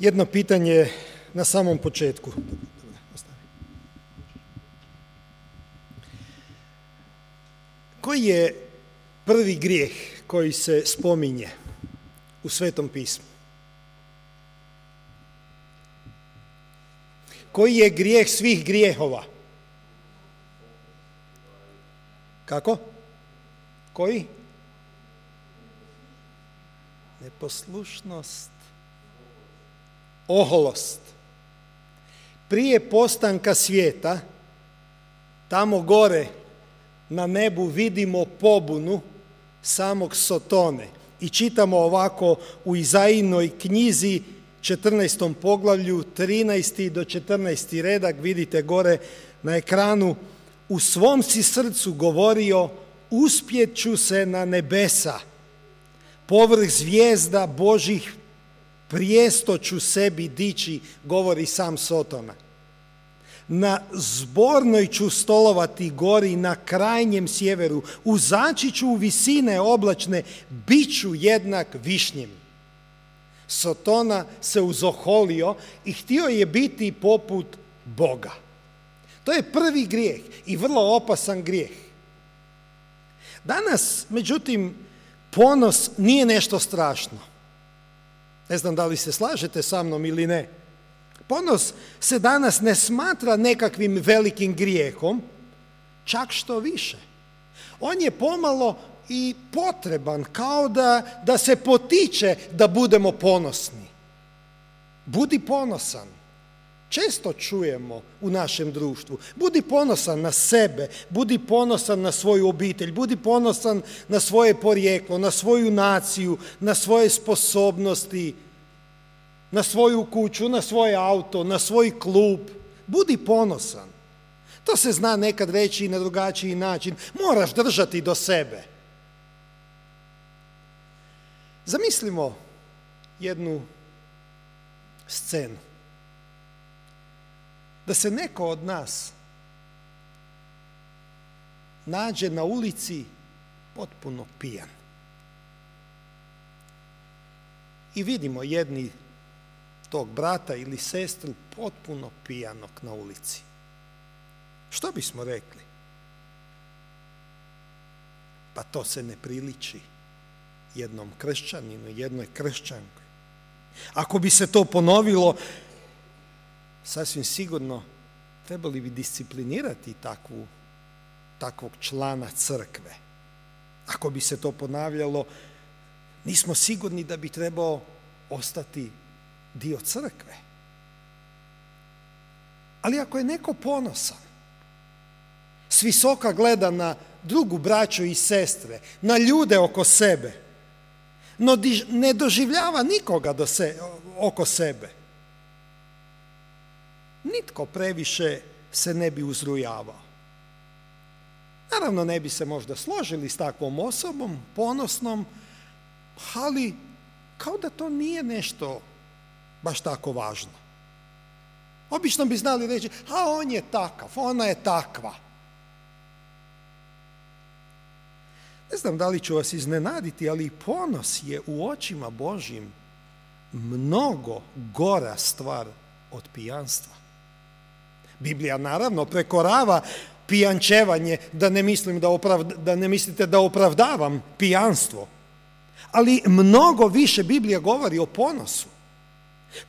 Jedno pitanje na samom početku. Koji je prvi grijeh koji se spominje u Svetom pismu? Koji je grijeh svih grijehova? Kako? Koji? Neposlušnost. Oholost. Prije postanka svijeta, tamo gore na nebu vidimo pobunu samog Sotone i čitamo ovako u Izajinoj knjizi 14. poglavlju 13. do 14. redak, vidite gore na ekranu: u svom si srcu govorio, uspjet ću se na nebesa, povrh zvijezda Božih prijesto ću sebi dići, govori sam Sotona. Na zbornoj ću stolovati gori na krajnjem sjeveru, uzaći ću u visine oblačne, bit ću jednak višnjim. Sotona se uzoholio i htio je biti poput Boga. To je prvi grijeh i vrlo opasan grijeh. Danas, međutim, ponos nije nešto strašno. Ne znam da li se slažete sa mnom ili ne. Ponos se danas ne smatra nekakvim velikim grijehom, čak što više. On je pomalo i potreban, kao da se potiče da budemo ponosni. Budi ponosan. Često čujemo u našem društvu: budi ponosan na sebe, budi ponosan na svoju obitelj, budi ponosan na svoje porijeklo, na svoju naciju, na svoje sposobnosti, na svoju kuću, na svoj auto, na svoj klub. Budi ponosan. To se zna nekad reći i na drugačiji način. Moraš držati do sebe. Zamislimo jednu scenu. Da se neko od nas nađe na ulici potpuno pijan. I vidimo jedni tog brata ili sestru potpuno pijanog na ulici. Što bismo rekli? Pa to se ne priliči jednom kršćaninu, jednoj kršćanki. Ako bi se to ponovilo, sasvim sigurno trebali bi disciplinirati takvog člana crkve. Ako bi se to ponavljalo, nismo sigurni da bi trebao ostati dio crkve. Ali ako je neko ponosan, s visoka gleda na drugu braću i sestre, na ljude oko sebe, no ne doživljava nikoga oko sebe, nitko previše se ne bi uzrujavao. Naravno, ne bi se možda složili s takvom osobom, ponosnom, ali kao da to nije nešto baš tako važno. Obično bi znali reći: a on je takav, ona je takva. Ne znam da li ću vas iznenaditi, ali ponos je u očima Božjim mnogo gora stvar od pijanstva. Biblija naravno prekorava pijančevanje, da ne mislite da opravdavam pijanstvo, ali mnogo više Biblija govori o ponosu.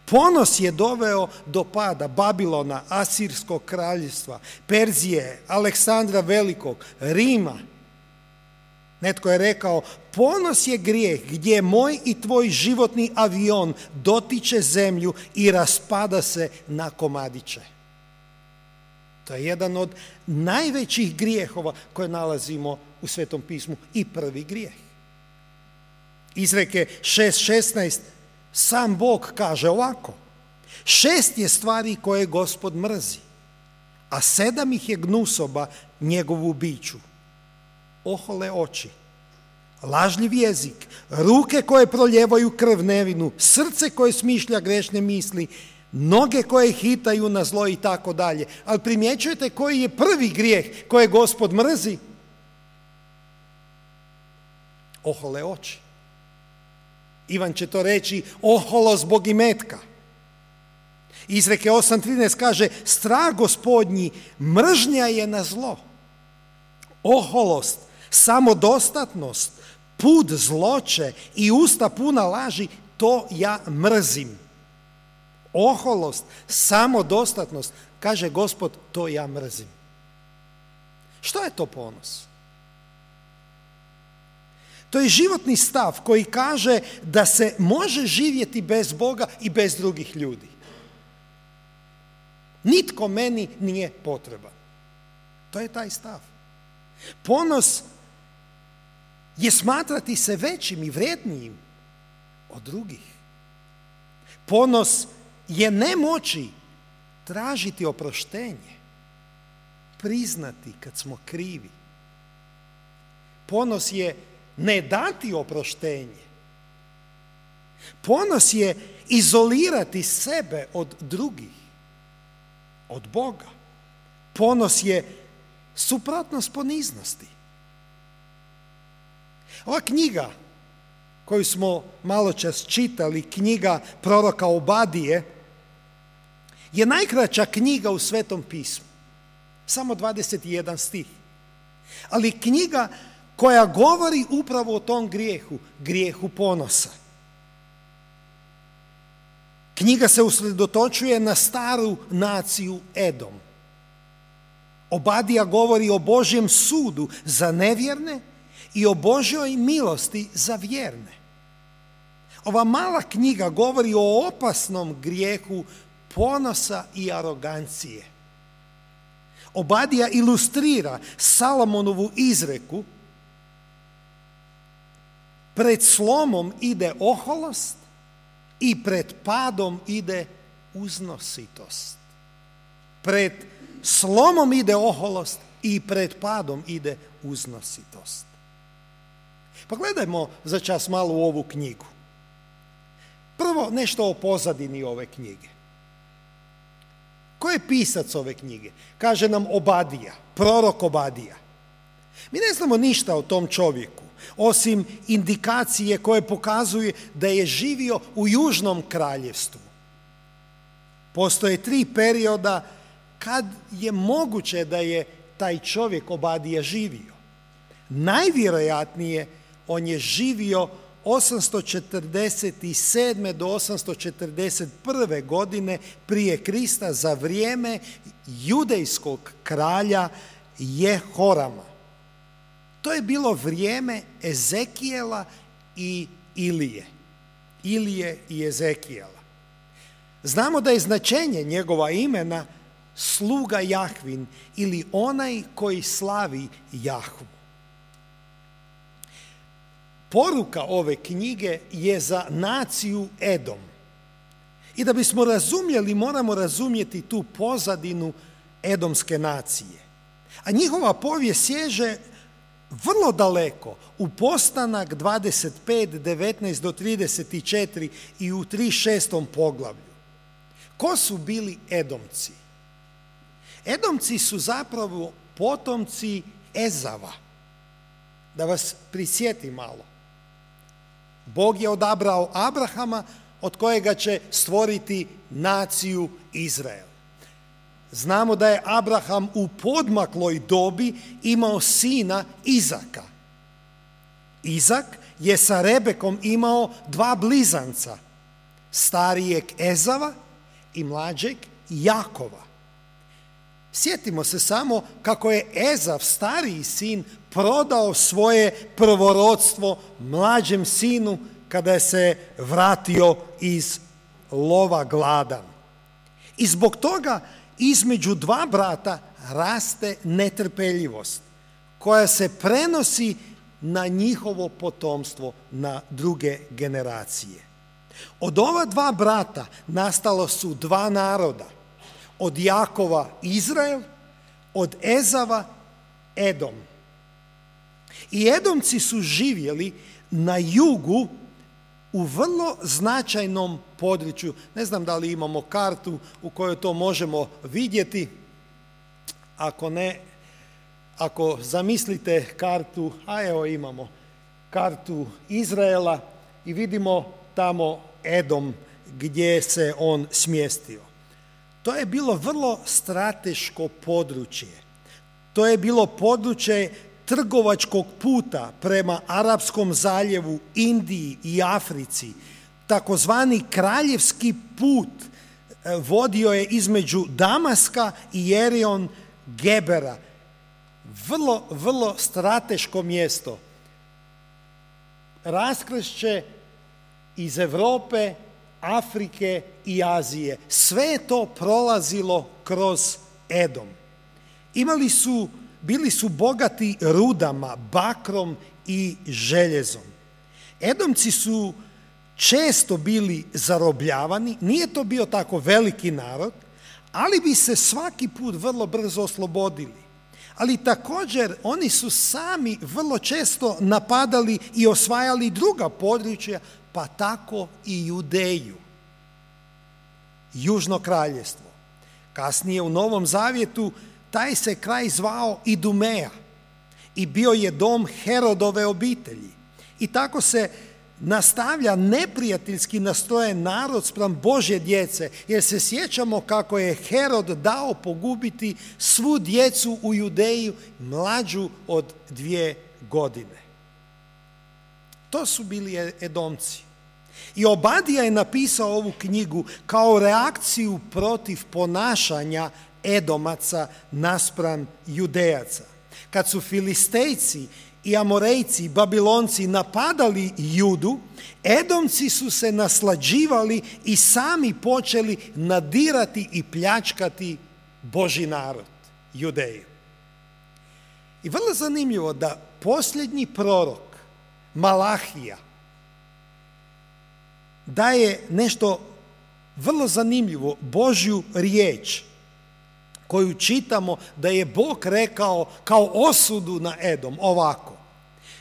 Ponos je doveo do pada Babilona, Asirskog kraljevstva, Perzije, Aleksandra Velikog, Rima. Netko je rekao: ponos je grijeh gdje moj i tvoj životni avion dotiče zemlju i raspada se na komadiće. To je jedan od najvećih grijehova koje nalazimo u Svetom pismu i prvi grijeh. Izreke 6:16 sam Bog kaže ovako: 6 je stvari koje Gospod mrzi, a 7 ih je gnusoba njegovu biću: ohole oči, lažljiv jezik, ruke koje proljevaju krv nevinu, srce koje smišlja grešne misli, noge koje hitaju na zlo i tako dalje. Ali primjećujete koji je prvi grijeh koje Gospod mrzi? Ohole oči. Ivan će to reći: oholo zbog imetka. Izreke 8.13 kaže, strah Gospodnji mržnja je na zlo. Oholost, samodostatnost, put zloće i usta puna laži, to ja mrzim. Oholost, samodostatnost, kaže Gospod, to ja mrzim. Što je to ponos? To je životni stav koji kaže da se može živjeti bez Boga i bez drugih ljudi. Nitko meni nije potreban. To je taj stav. Ponos je smatrati se većim i vrijednijim od drugih. Ponos je ne moći tražiti oproštenje, priznati kad smo krivi. Ponos je ne dati oproštenje. Ponos je izolirati sebe od drugih, od Boga. Ponos je suprotnost poniznosti. Ova knjiga koju smo maločas čitali, knjiga proroka Obadije, je najkraća knjiga u Svetom pismu. Samo 21 stih. Ali knjiga koja govori upravo o tom grijehu, grijehu ponosa. Knjiga se usredotočuje na staru naciju Edom. Obadija govori o Božjem sudu za nevjerne i o Božjoj milosti za vjerne. Ova mala knjiga govori o opasnom grijehu ponosa i arogancije. Obadija ilustrira Salomonovu izreku: pred slomom ide oholost i pred padom ide uznositost. Pred slomom ide oholost i pred padom ide uznositost. Pogledajmo za čas malo u ovu knjigu. Prvo nešto o pozadini ove knjige. Ko je pisac ove knjige? Kaže nam Obadija, prorok Obadija. Mi ne znamo ništa o tom čovjeku, osim indikacije koje pokazuje da je živio u Južnom kraljevstvu. Postoje 3 perioda kad je moguće da je taj čovjek Obadija živio. Najvjerojatnije on je živio 847. do 841. godine prije Krista za vrijeme judejskog kralja Jehorama. To je bilo vrijeme Ezekijela i Ilije. Ilije i Ezekijela. Znamo da je značenje njegova imena sluga Jahvin ili onaj koji slavi Jahvu. Poruka ove knjige je za naciju Edom. I da bismo razumjeli, moramo razumjeti tu pozadinu edomske nacije. A njihova povijest sježe vrlo daleko, u Postanak 25, 19 do 34 i u 36. poglavlju. Ko su bili Edomci? Edomci su zapravo potomci Ezava. Da vas prisjeti malo. Bog je odabrao Abrahama, od kojega će stvoriti naciju Izrael. Znamo da je Abraham u podmakloj dobi imao sina Izaka. Izak je sa Rebekom imao 2 blizanca, starijeg Ezava i mlađeg Jakova. Sjetimo se samo kako je Ezav, stariji sin, prodao svoje prvorodstvo mlađem sinu kada je se vratio iz lova gladan. I zbog toga između 2 brata raste netrpeljivost koja se prenosi na njihovo potomstvo, na druge generacije. Od ova 2 brata nastalo su 2 naroda. Od Jakova Izrael, od Ezava Edom. I Edomci su živjeli na jugu u vrlo značajnom području. Ne znam da li imamo kartu u kojoj to možemo vidjeti. Ako ne, ako zamislite kartu, a evo imamo kartu Izraela i vidimo tamo Edom gdje se on smjestio. To je bilo vrlo strateško područje. To je bilo područje trgovačkog puta prema Arapskom zaljevu, Indiji i Africi. Takozvani kraljevski put vodio je između Damaska i Jerion Gebera. Vrlo, vrlo strateško mjesto. Raskršće iz Europe, Afrike i Azije. Sve je to prolazilo kroz Edom. Bili su bogati rudama, bakrom i željezom. Edomci su često bili zarobljavani, nije to bio tako veliki narod, ali bi se svaki put vrlo brzo oslobodili. Ali također oni su sami vrlo često napadali i osvajali druga područja, pa tako i Judeju, Južno kraljevstvo. Kasnije u Novom Zavjetu taj se kraj zvao Idumeja i bio je dom Herodove obitelji. I tako se nastavlja neprijateljski nastrojen narod spram Božje djece, jer se sjećamo kako je Herod dao pogubiti svu djecu u Judeju mlađu od 2 godine. To su bili Edomci. I Obadija je napisao ovu knjigu kao reakciju protiv ponašanja Edomaca naspram Judejaca. Kad su Filistejci i Amorejci i Babilonci napadali Judu, Edomci su se naslađivali i sami počeli nadirati i pljačkati Božji narod, Judeju. I vrlo zanimljivo da posljednji prorok, Malahija, daje nešto vrlo zanimljivo, Božju riječ, koju čitamo da je Bog rekao kao osudu na Edom ovako: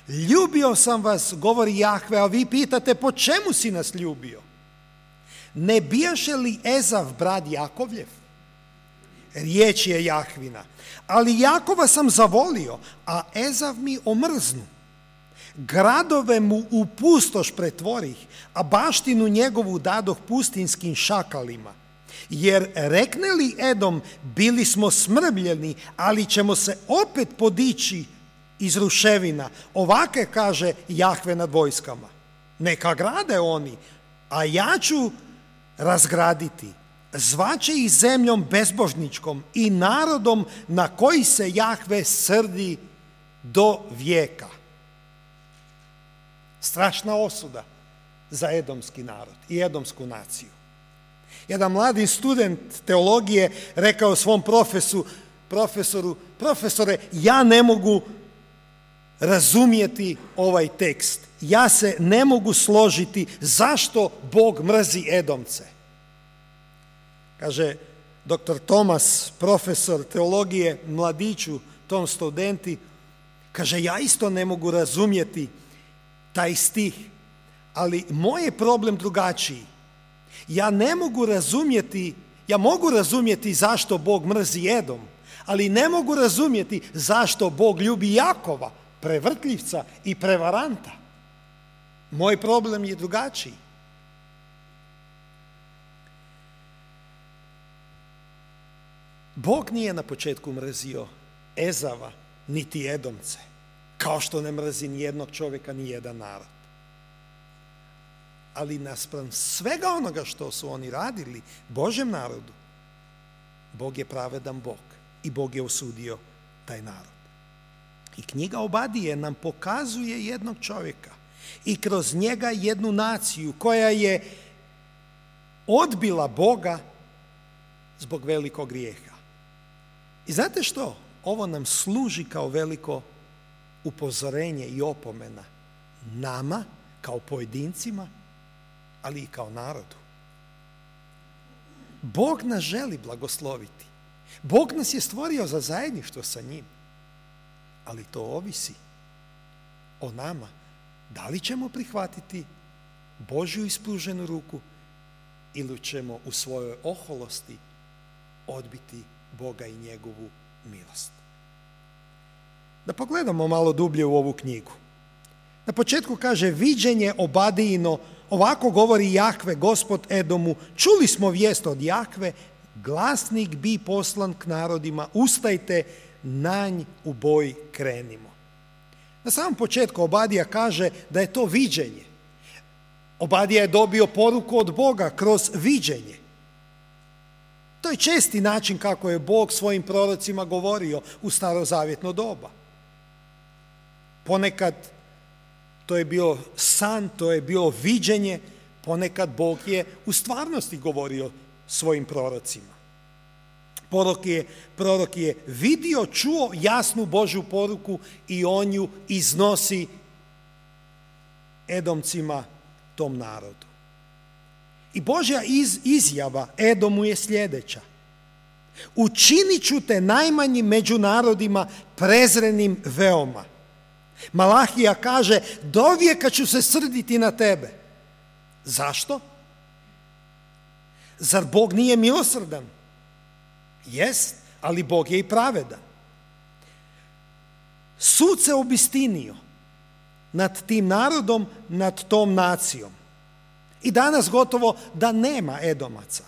ljubio sam vas, govori Jahve, a vi pitate po čemu si nas ljubio? Ne bijaše li Ezav brat Jakovljev? Riječ je Jahvina. Ali Jakova sam zavolio, a Ezav mi omrznu. Gradove mu u pustoš pretvorih, a baštinu njegovu dadoh pustinskim šakalima. Jer rekne li Edom, bili smo smrbljeni, ali ćemo se opet podići iz ruševina. Ovake kaže Jahve nad vojskama: neka grade oni, a ja ću razgraditi. Zvaće ih zemljom bezbožničkom i narodom na koji se Jahve srdi do vijeka. Strašna osuda za edomski narod i edomsku naciju. Jedan mladi student teologije rekao svom profesoru: profesore, ja ne mogu razumjeti ovaj tekst. Ja se ne mogu složiti zašto Bog mrzi Edomce. Kaže dr. Tomas, profesor teologije, mladiću, tom studenti, kaže: ja isto ne mogu razumjeti taj stih, ali moj je problem drugačiji. Ja mogu razumjeti zašto Bog mrzi Edom, ali ne mogu razumjeti zašto Bog ljubi Jakova, prevrtljivca i prevaranta. Moj problem je drugačiji. Bog nije na početku mrzio Ezava niti Edomce, kao što ne mrzi ni jednog čovjeka, ni jedan narod. Ali naspram svega onoga što su oni radili Božjem narodu, Bog je pravedan Bog i Bog je osudio taj narod. I knjiga Obadije nam pokazuje jednog čovjeka i kroz njega jednu naciju koja je odbila Boga zbog velikog grijeha. I znate što? Ovo nam služi kao veliko upozorenje i opomena nama kao pojedincima, ali i kao narodu. Bog nas želi blagosloviti. Bog nas je stvorio za zajedništvo sa njim, ali to ovisi o nama. Da li ćemo prihvatiti Božju ispruženu ruku ili ćemo u svojoj oholosti odbiti Boga i njegovu milost. Da pogledamo malo dublje u ovu knjigu. Na početku kaže: viđenje Obadijino, ovako govori Jahve, Gospod Edomu, čuli smo vijest od Jahve glasnik bi poslan k narodima, ustajte, nanj u boj krenimo. Na samom početku Obadija kaže da je to viđenje. Obadija je dobio poruku od Boga kroz viđenje. To je česti način kako je Bog svojim prorocima govorio u starozavjetno doba. Ponekad to je bio san, to je bilo viđenje, ponekad Bog je u stvarnosti govorio svojim prorocima. Prorok je vidio, čuo jasnu Božju poruku i on ju iznosi Edomcima, tom narodu. I Božja izjava Edomu je sljedeća: učinit ću te najmanjim među narodima, prezrenim veoma. Malahija kaže, dovijeka ću se srditi na tebe. Zašto? Zar Bog nije milosrdan? Jest, ali Bog je i pravedan. Sud se obistinio nad tim narodom, nad tom nacijom. I danas gotovo da nema Edomaca.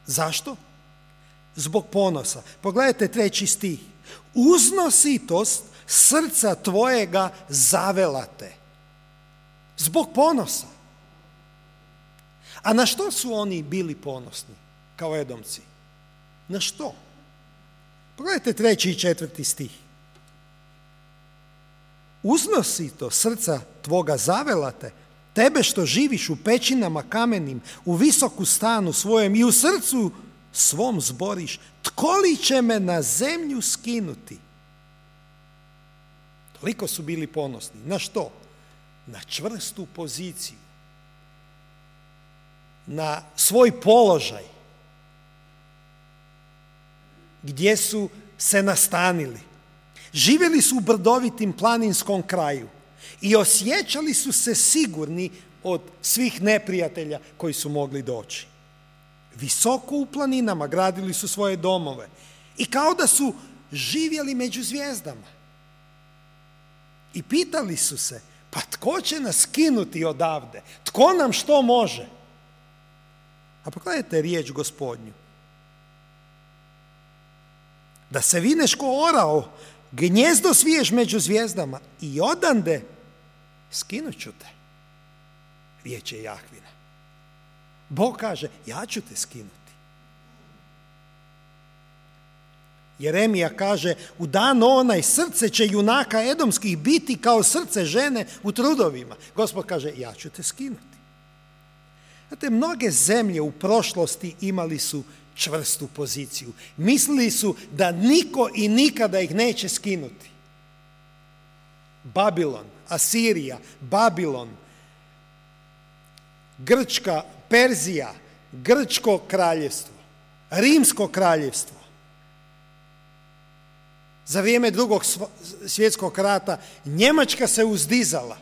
Zašto? Zbog ponosa. Pogledajte 3. stih. Uznositost srca tvojega zavela te. Zbog ponosa. A na što su oni bili ponosni kao Edomci? Na što? Pogledajte 3. i 4. stih. Uznositost srca tvoga zavela te, tebe što živiš u pećinama kamenim, u visoku stanu svojem i u srcu svom zboriš, tko li će me na zemlju skinuti? Toliko su bili ponosni. Na što? Na čvrstu poziciju. Na svoj položaj. Gdje su se nastanili. Živjeli su u brdovitim planinskom kraju i osjećali su se sigurni od svih neprijatelja koji su mogli doći. Visoko u planinama gradili su svoje domove i kao da su živjeli među zvijezdama. I pitali su se, pa tko će nas skinuti odavde? Tko nam što može? A pogledajte riječ Gospodnju. Da se vineš ko orao, gnjezdo sviješ među zvijezdama i odande skinut ću te. Riječ je Jahvina. Bog kaže, ja ću te skinuti. Jeremija kaže, u dan onaj srce će junaka edomskih biti kao srce žene u trudovima. Gospod kaže, ja ću te skinuti. Znate, mnoge zemlje u prošlosti imali su čvrstu poziciju. Mislili su da niko i nikada ih neće skinuti. Babilon, Asirija, Babilon, Grčka, Perzija, Grčko kraljevstvo, Rimsko kraljevstvo. Za vrijeme Drugog svjetskog rata Njemačka se uzdizala.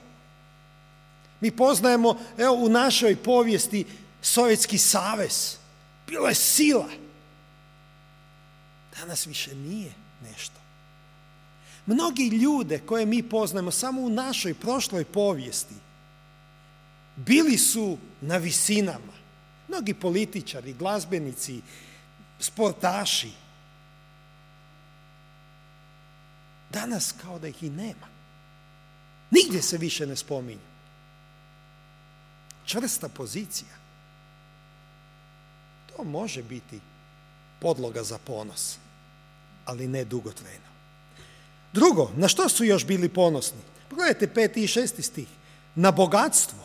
Mi poznajemo, evo, u našoj povijesti Sovjetski savez. Bila je sila. Danas više nije nešto. Mnogi ljude koje mi poznajemo samo u našoj prošloj povijesti bili su na visinama. Mnogi političari, glazbenici, sportaši. Danas kao da ih i nema. Nigdje se više ne spominju. Čvrsta pozicija. To može biti podloga za ponos, ali ne dugotrajno. Drugo, na što su još bili ponosni? Pogledajte 5. i 6. stih. Na bogatstvo.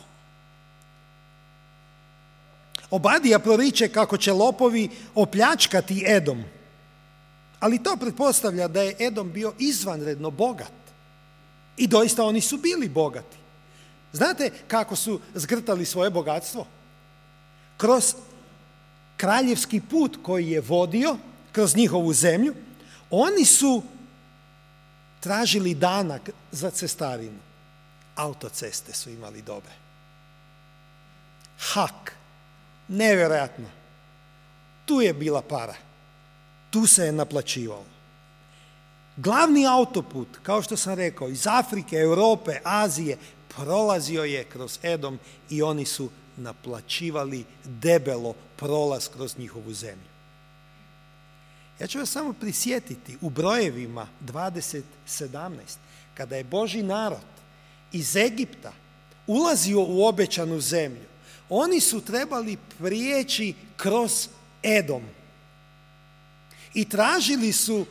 Obadija proriče kako će lopovi opljačkati Edom. Ali to pretpostavlja da je Edom bio izvanredno bogat. I doista oni su bili bogati. Znate kako su zgrtali svoje bogatstvo? Kroz kraljevski put koji je vodio kroz njihovu zemlju, oni su tražili danak za cestarinu. Autoceste su imali dobre. Hak. Nevjerojatno. Tu je bila para. Tu se je naplaćivalo. Glavni autoput, kao što sam rekao, iz Afrike, Europe, Azije, prolazio je kroz Edom i oni su naplaćivali debelo prolaz kroz njihovu zemlju. Ja ću vas samo prisjetiti u Brojevima 20:17, kada je Božji narod iz Egipta ulazio u obećanu zemlju, oni su trebali prijeći kroz Edom. I tražili su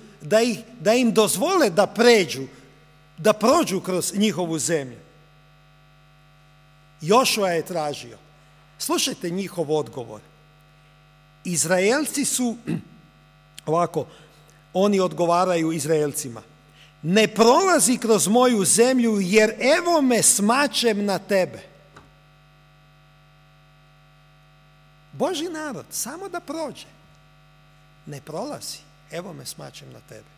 da im dozvole da prođu kroz njihovu zemlju. Jošua je tražio. Slušajte njihov odgovor. Izraelci su, ovako, oni odgovaraju Izraelcima: ne prolazi kroz moju zemlju, jer evo me smačem na tebe. Božji narod, samo da prođe. Ne prolazi, evo me smačem na tebe.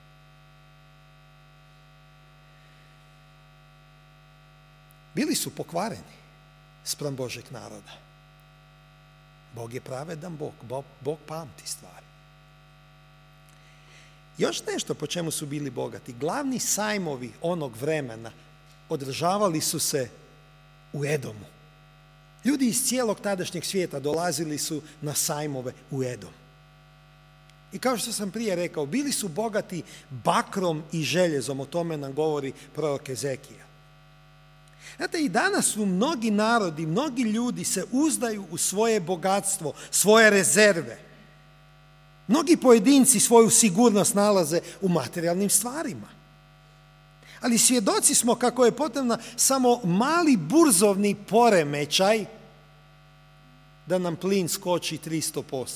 Bili su pokvareni spram Božeg naroda. Bog je pravedan Bog pamti stvari. Još nešto po čemu su bili bogati. Glavni sajmovi onog vremena održavali su se u Edomu. Ljudi iz cijelog tadašnjeg svijeta dolazili su na sajmove u Edom. I kao što sam prije rekao, bili su bogati bakrom i željezom, o tome nam govori prorok Ezekija. Znate, i danas su mnogi narodi, mnogi ljudi se uzdaju u svoje bogatstvo, svoje rezerve. Mnogi pojedinci svoju sigurnost nalaze u materijalnim stvarima. Ali svjedoci smo kako je potrebna samo mali burzovni poremećaj da nam plin skoči 300%.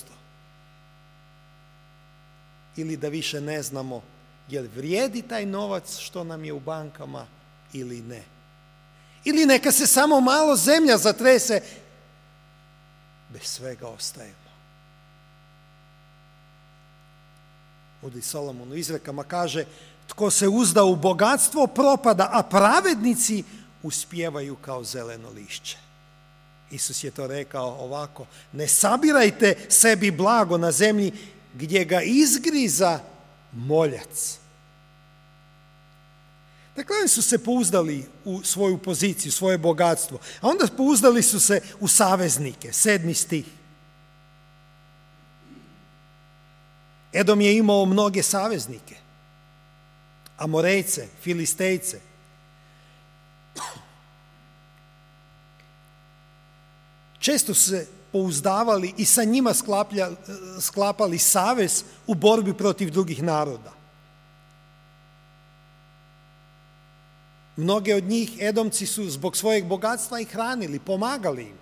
Ili da više ne znamo jel vrijedi taj novac što nam je u bankama ili ne. Ili neka se samo malo zemlja zatrese, bez svega ostajemo. Mudri Solomon u izrekama kaže: tko se uzda u bogatstvo propada, a pravednici uspijevaju kao zeleno lišće. Isus je to rekao ovako: ne sabirajte sebi blago na zemlji gdje ga izgriza moljac. Dakle, oni su se pouzdali u svoju poziciju, svoje bogatstvo, a onda pouzdali su se u saveznike. 7. stih. Edom je imao mnoge saveznike. Amorejce, Filistejce. Često su se pouzdavali i sa njima sklapali savez u borbi protiv drugih naroda. Mnoge od njih Edomci su zbog svojeg bogatstva i hranili, pomagali im.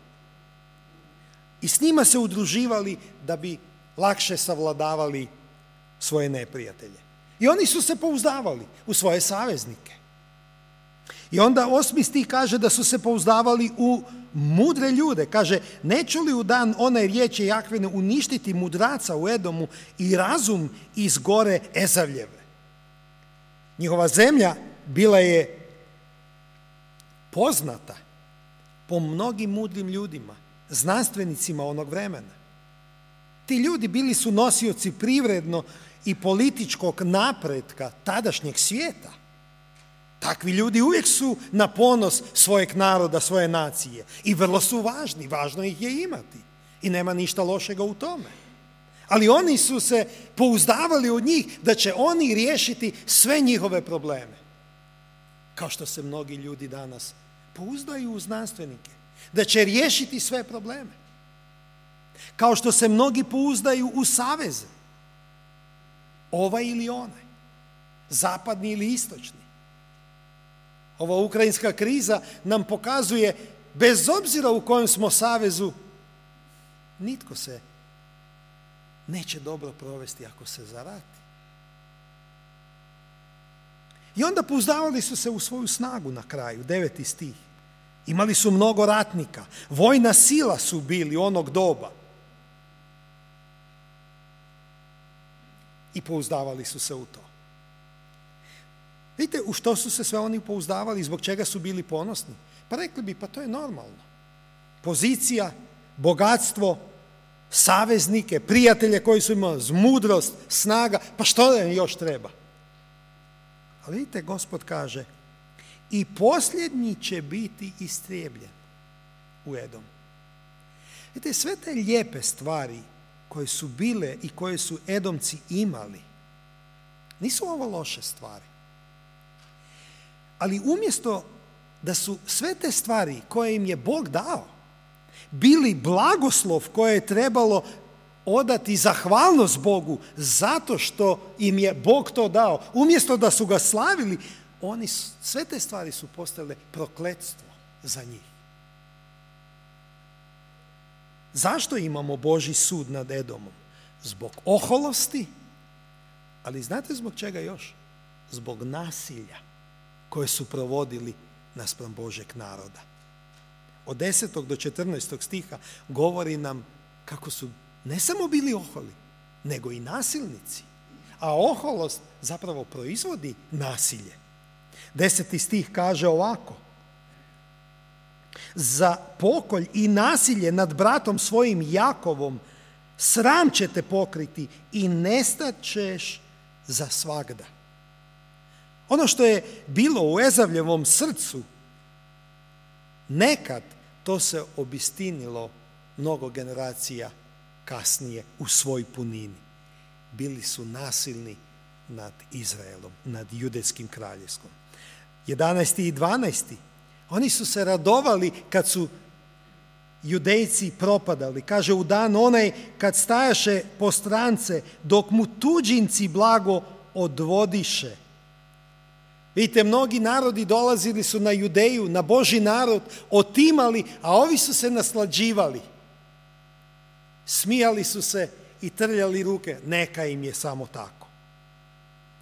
I s njima se udruživali da bi lakše savladavali svoje neprijatelje. I oni su se pouzdavali u svoje saveznike. I onda 8. stih kaže da su se pouzdavali u mudre ljude. Kaže: neću li u dan one riječi Jahvine uništiti mudraca u Edomu i razum iz gore Ezavljeve. Njihova zemlja bila je poznata po mnogim mudrim ljudima, znanstvenicima onog vremena. Ti ljudi bili su nosioci privredno i političkog napretka tadašnjeg svijeta. Takvi ljudi uvijek su na ponos svojeg naroda, svoje nacije i vrlo su važni, važno ih je imati i nema ništa lošega u tome. Ali oni su se pouzdavali od njih da će oni riješiti sve njihove probleme. Kao što se mnogi ljudi danas pouzdaju u znanstvenike, da će riješiti sve probleme. Kao što se mnogi pouzdaju u saveze, ovaj ili onaj, zapadni ili istočni. Ova ukrajinska kriza nam pokazuje, bez obzira u kojem smo savezu, nitko se neće dobro provesti ako se zarati. I onda pouzdavali su se u svoju snagu na kraju, 9. stih. Imali su mnogo ratnika, vojna sila su bili onog doba. I pouzdavali su se u to. Vidite u što su se sve oni pouzdavali, zbog čega su bili ponosni? Pa rekli bi, pa to je normalno. Pozicija, bogatstvo, saveznike, prijatelje koji su imali, mudrost, snaga, pa što im još treba? Ali vidite, Gospod kaže: i posljednji će biti istrijebljen u Edomu. Vidite, sve te lijepe stvari koje su bile i koje su Edomci imali, nisu ovo loše stvari. Ali umjesto da su sve te stvari koje im je Bog dao bili blagoslov koje je trebalo odati zahvalnost Bogu zato što im je Bog to dao, umjesto da su ga slavili, sve te stvari su postale prokletstvo za njih. Zašto imamo Božji sud nad Edomom? Zbog oholosti, ali znate zbog čega još? Zbog nasilja koje su provodili naspram Božjeg naroda. Od 10. do 14. stiha govori nam kako su ne samo bili oholi, nego i nasilnici. A oholost zapravo proizvodi nasilje. 10. stih kaže ovako: za pokolj i nasilje nad bratom svojim Jakovom sram će te pokriti i nestat ćeš za svagda. Ono što je bilo u Ezavljevom srcu, nekad to se obistinilo mnogo generacija kasnije u svoj punini. Bili su nasilni nad Izraelom, nad judejskim kraljevstvom. 11. i 12. Oni su se radovali kad su Judejci propadali. Kaže, u dan onaj kad stajaše po strance, dok mu tuđinci blago odvodiše. Vidite, mnogi narodi dolazili su na Judeju, na Božji narod, otimali, a ovi su se naslađivali. Smijali su se i trljali ruke. Neka im je samo tako.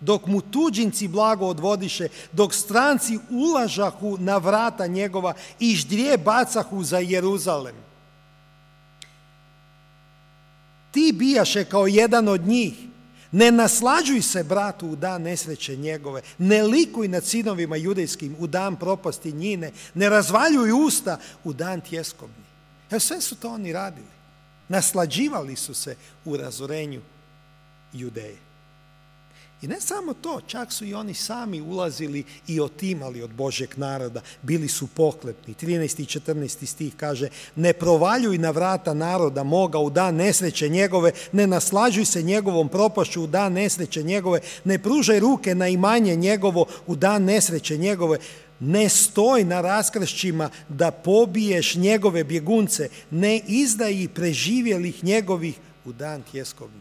Dok mu tuđinci blago odvodiše, dok stranci ulažahu na vrata njegova i ždrije bacahu za Jeruzalem. Ti bijaše kao jedan od njih. Ne naslađuj se bratu u dan nesreće njegove, ne likuj nad sinovima judejskim u dan propasti njine, ne razvaljuj usta u dan tjeskobni. Evo, sve su to oni radili. Naslađivali su se u razorenju Judeje. I ne samo to, čak su i oni sami ulazili i otimali od Božjeg naroda, bili su pohlepni. 13. i 14. stih kaže: ne provaljuj na vrata naroda moga u dan nesreće njegove, ne naslađuj se njegovom propašću u dan nesreće njegove, ne pružaj ruke na imanje njegovo u dan nesreće njegove, ne stoj na raskršćima da pobiješ njegove bjegunce, ne izdaji preživjelih njegovih u dan tjeskobni.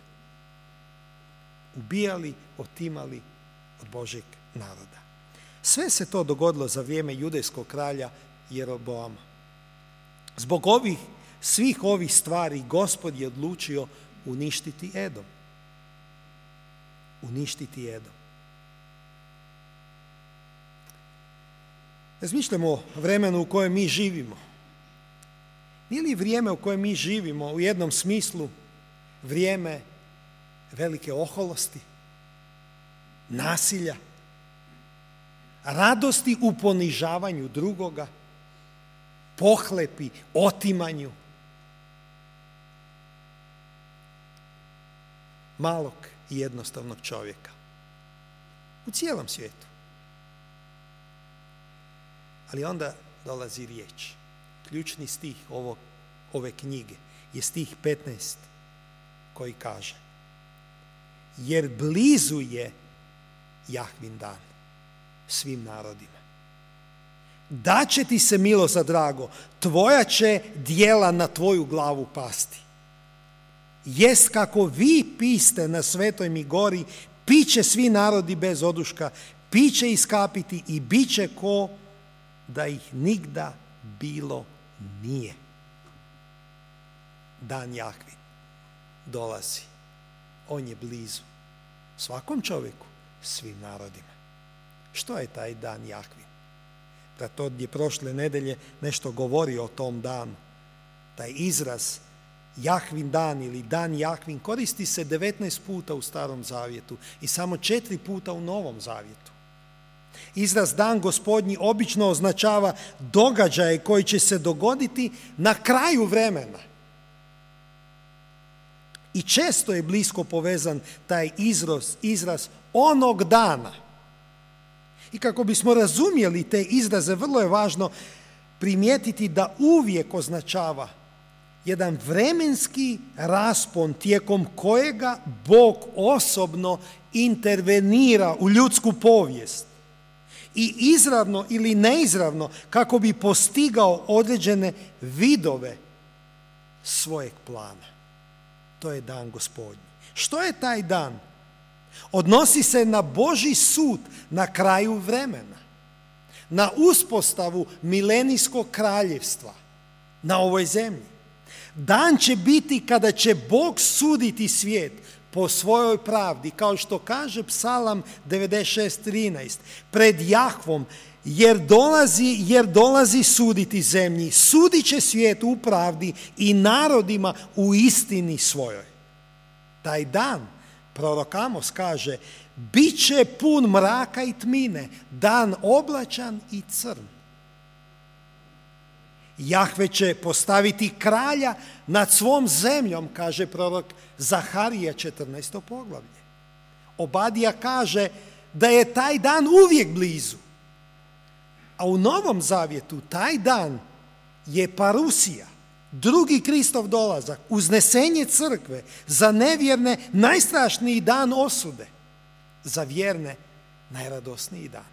Ubijali, otimali od Božjeg naroda. Sve se to dogodilo za vrijeme judejskog kralja Jeroboama. Zbog svih ovih stvari Gospod je odlučio uništiti Edom. Uništiti Edom. Razmišljamo o vremenu u kojem mi živimo. Nije li vrijeme u kojem mi živimo u jednom smislu vrijeme velike oholosti, nasilja, radosti u ponižavanju drugoga, pohlepi, otimanju, malog i jednostavnog čovjeka u cijelom svijetu. Ali onda dolazi riječ. Ključni stih ove knjige je stih 15 koji kaže: jer blizu je Jahvin dan svim narodima. Daće ti se milost za drago, tvoja će djela na tvoju glavu pasti. Jest kako vi piste na svetoj mi gori, piće svi narodi bez oduška, piće iskapiti i bit će ko da ih nigda bilo nije. Dan Jahvin dolazi. On je blizu svakom čovjeku, svim narodima. Što je taj dan Jahvin? Brat je prošle nedelje nešto govorio o tom danu. Taj izraz Jahvin dan ili dan Jahvin koristi se 19 puta u Starom zavjetu i samo 4 puta u Novom zavjetu. Izraz dan Gospodnji obično označava događaje koji će se dogoditi na kraju vremena. I često je blisko povezan taj izraz onog dana. I kako bismo razumjeli te izraze, vrlo je važno primijetiti da uvijek označava jedan vremenski raspon tijekom kojega Bog osobno intervenira u ljudsku povijest i izravno ili neizravno kako bi postigao određene vidove svojeg plana. To je dan Gospodnji. Što je taj dan? Odnosi se na Božji sud na kraju vremena, na uspostavu milenijskog kraljevstva na ovoj zemlji. Dan će biti kada će Bog suditi svijet po svojoj pravdi, kao što kaže Psalam 96:13, pred Jahvom, jer dolazi suditi zemlji, sudit će svijet u pravdi i narodima u istini svojoj. Taj dan, prorok Amos kaže, bit će pun mraka i tmine, dan oblačan i crn. Jahve će postaviti kralja nad svom zemljom, kaže prorok Zaharija 14. poglavlje. Obadija kaže da je taj dan uvijek blizu. A u Novom Zavjetu taj dan je parusija, drugi Kristov dolazak, uznesenje crkve, za nevjerne najstrašniji dan osude, za vjerne najradosniji dan.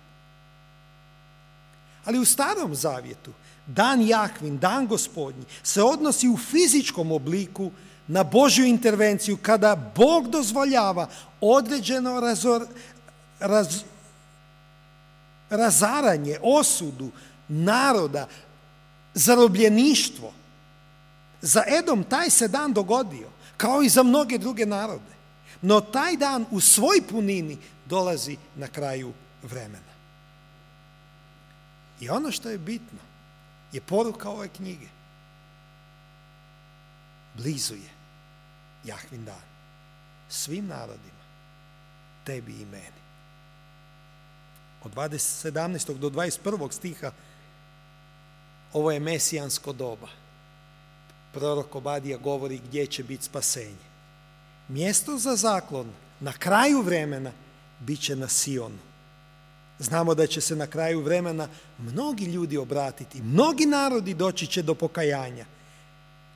Ali u Starom Zavjetu dan Jahvin, dan Gospodnji, se odnosi u fizičkom obliku na Božju intervenciju kada Bog dozvoljava određeno razaranje, osudu naroda, zarobljeništvo. Za Edom taj se dan dogodio, kao i za mnoge druge narode. No taj dan u svoj punini dolazi na kraju vremena. I ono što je bitno je poruka ove knjige. Blizu je Jahvin dan. Svim narodima, tebi i meni. Od 17. do 21. stiha ovo je mesijansko doba. Prorok Obadija govori gdje će biti spasenje. Mjesto za zaklon na kraju vremena bit će na Sionu. Znamo da će se na kraju vremena mnogi ljudi obratiti, mnogi narodi doći će do pokajanja.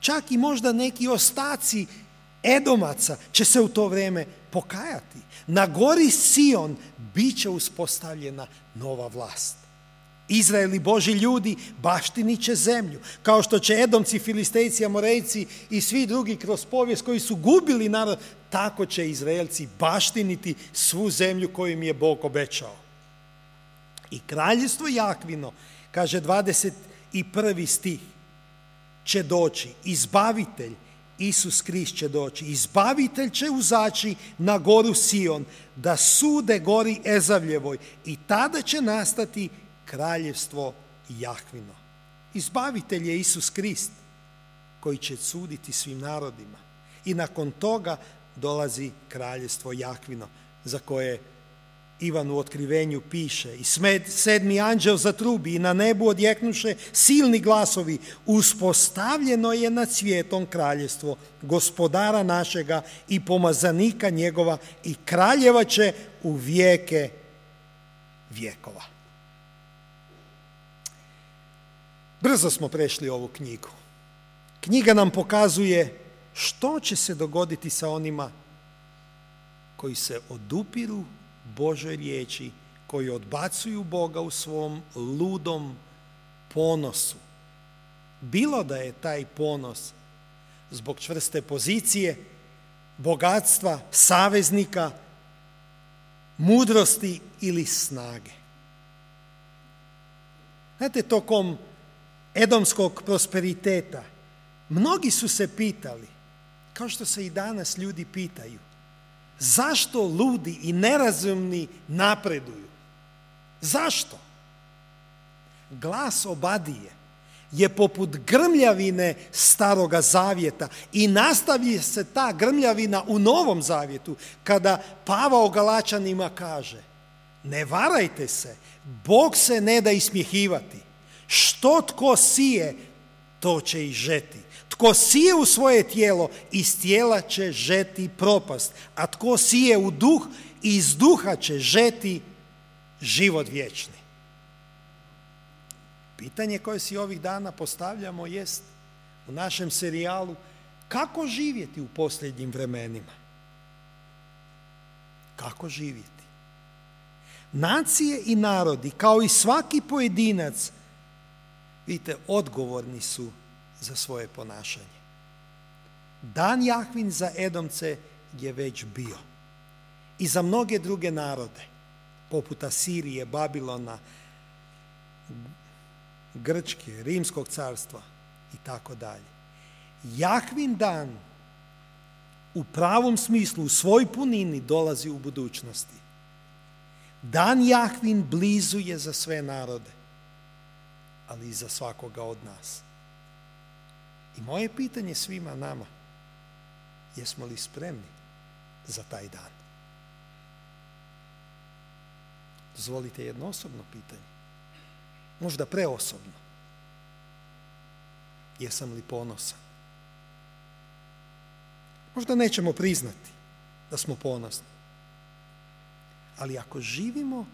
Čak i možda neki ostaci Edomaca će se u to vrijeme pokajati. Na gori Sion bit će uspostavljena nova vlast. Izrael i Božji ljudi baštinit će zemlju, kao što će Edomci, Filistejci, Amorejci i svi drugi kroz povijest koji su gubili narod, tako će Izraelci baštiniti svu zemlju koju im je Bog obećao. I kraljevstvo Jahvino, kaže 21. stih, će doći, izbavitelj, Isus Krist će doći, izbavitelj će uzaći na goru Sion, da sude gori Ezavljevoj i tada će nastati kraljevstvo Jahvino. Izbavitelj je Isus Krist koji će suditi svim narodima. I nakon toga dolazi kraljevstvo Jahvino, za koje Ivan u Otkrivenju piše: i sedmi anđel zatrubi i na nebu odjeknuše silni glasovi, uspostavljeno je nad svijetom kraljevstvo gospodara našega i pomazanika njegova i kraljeva će u vijeke vjekova. Brzo smo prešli ovu knjigu. Knjiga nam pokazuje što će se dogoditi sa onima koji se odupiru Božoj riječi, koji odbacuju Boga u svom ludom ponosu. Bilo da je taj ponos zbog čvrste pozicije, bogatstva, saveznika, mudrosti ili snage. Znate, tokom edomskog prosperiteta mnogi su se pitali, kao što se i danas ljudi pitaju, zašto ludi i nerazumni napreduju? Zašto? Glas Obadije je poput grmljavine Staroga Zavjeta i nastavlja se ta grmljavina u Novom Zavjetu kada Pavao Galačanima kaže: ne varajte se, Bog se ne da ismjehivati. Što tko sije, to će i žeti. Tko sije u svoje tijelo, iz tijela će žeti propast, a tko sije u duh, iz duha će žeti život vječni. Pitanje koje si ovih dana postavljamo jest: u našem serijalu kako živjeti u posljednjim vremenima. Kako živjeti? Nacije i narodi, kao i svaki pojedinac, vidite, odgovorni su za svoje ponašanje. Dan Jahvin za Edomce je već bio. I za mnoge druge narode, poput Asirije, Babilona, Grčke, Rimskog carstva i tako dalje. Jahvin dan u pravom smislu, u svoj punini dolazi u budućnosti. Dan Jahvin blizu je za sve narode, ali i za svakoga od nas. I moje pitanje svima nama, jesmo li spremni za taj dan? Dozvolite jedno osobno pitanje, možda preosobno. Jesam li ponosan? Možda nećemo priznati da smo ponosni, ali ako živimo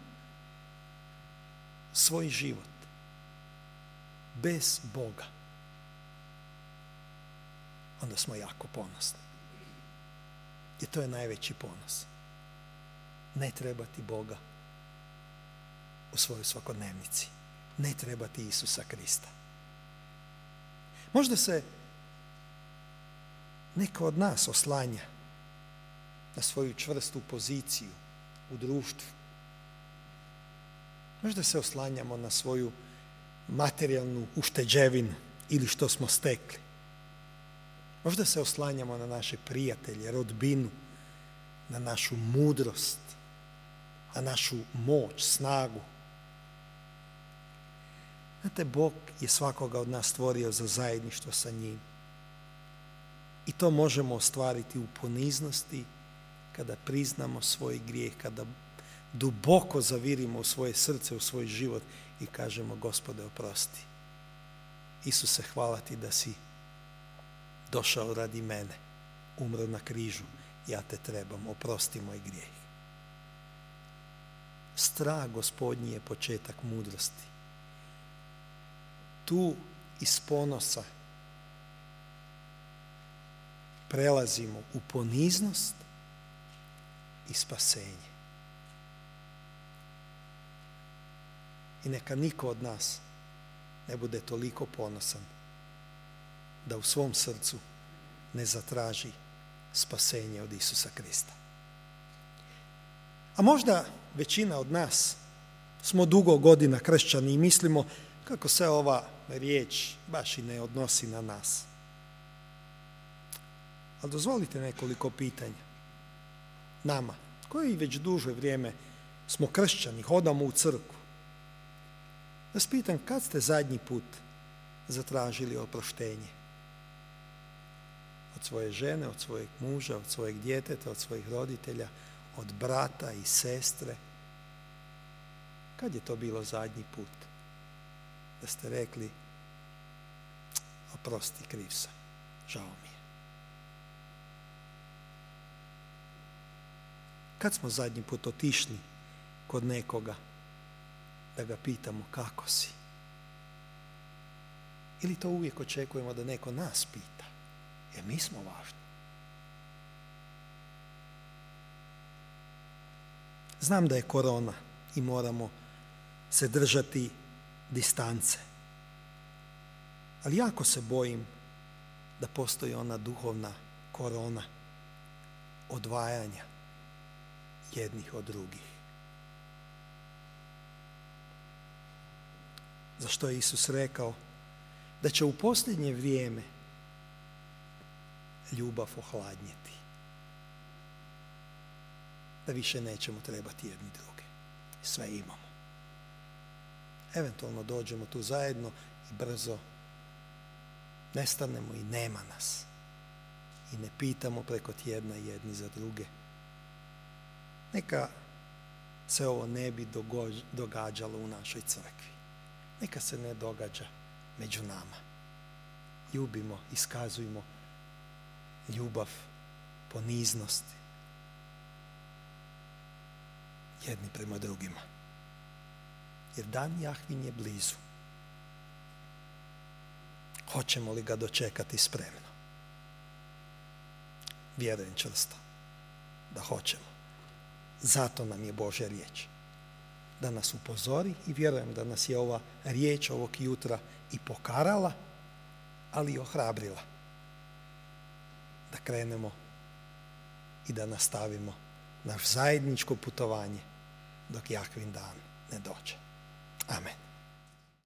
svoj život bez Boga, onda smo jako ponosni. I to je najveći ponos. Ne trebati Boga u svojoj svakodnevnici. Ne trebati Isusa Krista. Možda se neko od nas oslanja na svoju čvrstu poziciju u društvu. Možda se oslanjamo na svoju materijalnu ušteđevinu ili što smo stekli. Možda se oslanjamo na naše prijatelje, rodbinu, na našu mudrost, na našu moć, snagu. Znate, Bog je svakoga od nas stvorio za zajedništvo sa njim. I to možemo ostvariti u poniznosti kada priznamo svoj grijeh, kada duboko zavirimo u svoje srce, u svoj život i kažemo: Gospode, oprosti. Isuse, hvala ti da si došao radi mene, umro na križu, ja te trebam, oprosti moj grijeh. Strah Gospodnji je početak mudrosti. Tu iz ponosa prelazimo u poniznost i spasenje. I neka niko od nas ne bude toliko ponosan da u svom srcu ne zatraži spasenje od Isusa Krista. A možda većina od nas smo dugo godina kršćani i mislimo kako se ova riječ baš i ne odnosi na nas. Ali dozvolite nekoliko pitanja. Nama, koji već duže vrijeme smo kršćani, hodamo u crkvu. Da vas pitam, kad ste zadnji put zatražili oproštenje? Od svoje žene, od svojeg muža, od svojeg djeteta, od svojih roditelja, od brata i sestre? Kad je to bilo zadnji put? Da ste rekli: oprosti, kriv sam, žao mi je. Kad smo zadnji put otišli kod nekoga da ga pitamo kako si? Ili to uvijek očekujemo da neko nas pita, jer mi smo važni? Znam da je korona i moramo se držati distance, ali jako se bojim da postoji ona duhovna korona odvajanja jednih od drugih. Zašto je Isus rekao da će u posljednje vrijeme ljubav ohladnjeti, da više nećemo trebati jedni druge. Sve imamo. Eventualno dođemo tu zajedno i brzo nestanemo i nema nas. I ne pitamo preko tjedna jedni za druge. Neka se ovo ne bi događalo u našoj crkvi. Neka se ne događa među nama. Ljubimo, iskazujmo ljubav, poniznost jedni prema drugima. Jer dan Jahvin je blizu. Hoćemo li ga dočekati spremno? Vjerujem čvrsto da hoćemo. Zato nam je Božja riječ. Da nas upozori i vjerujem da nas je ova riječ ovog jutra i pokarala, ali i ohrabrila. Da krenemo i da nastavimo naš zajedničko putovanje dok Jahvin dan ne dođe. Amen.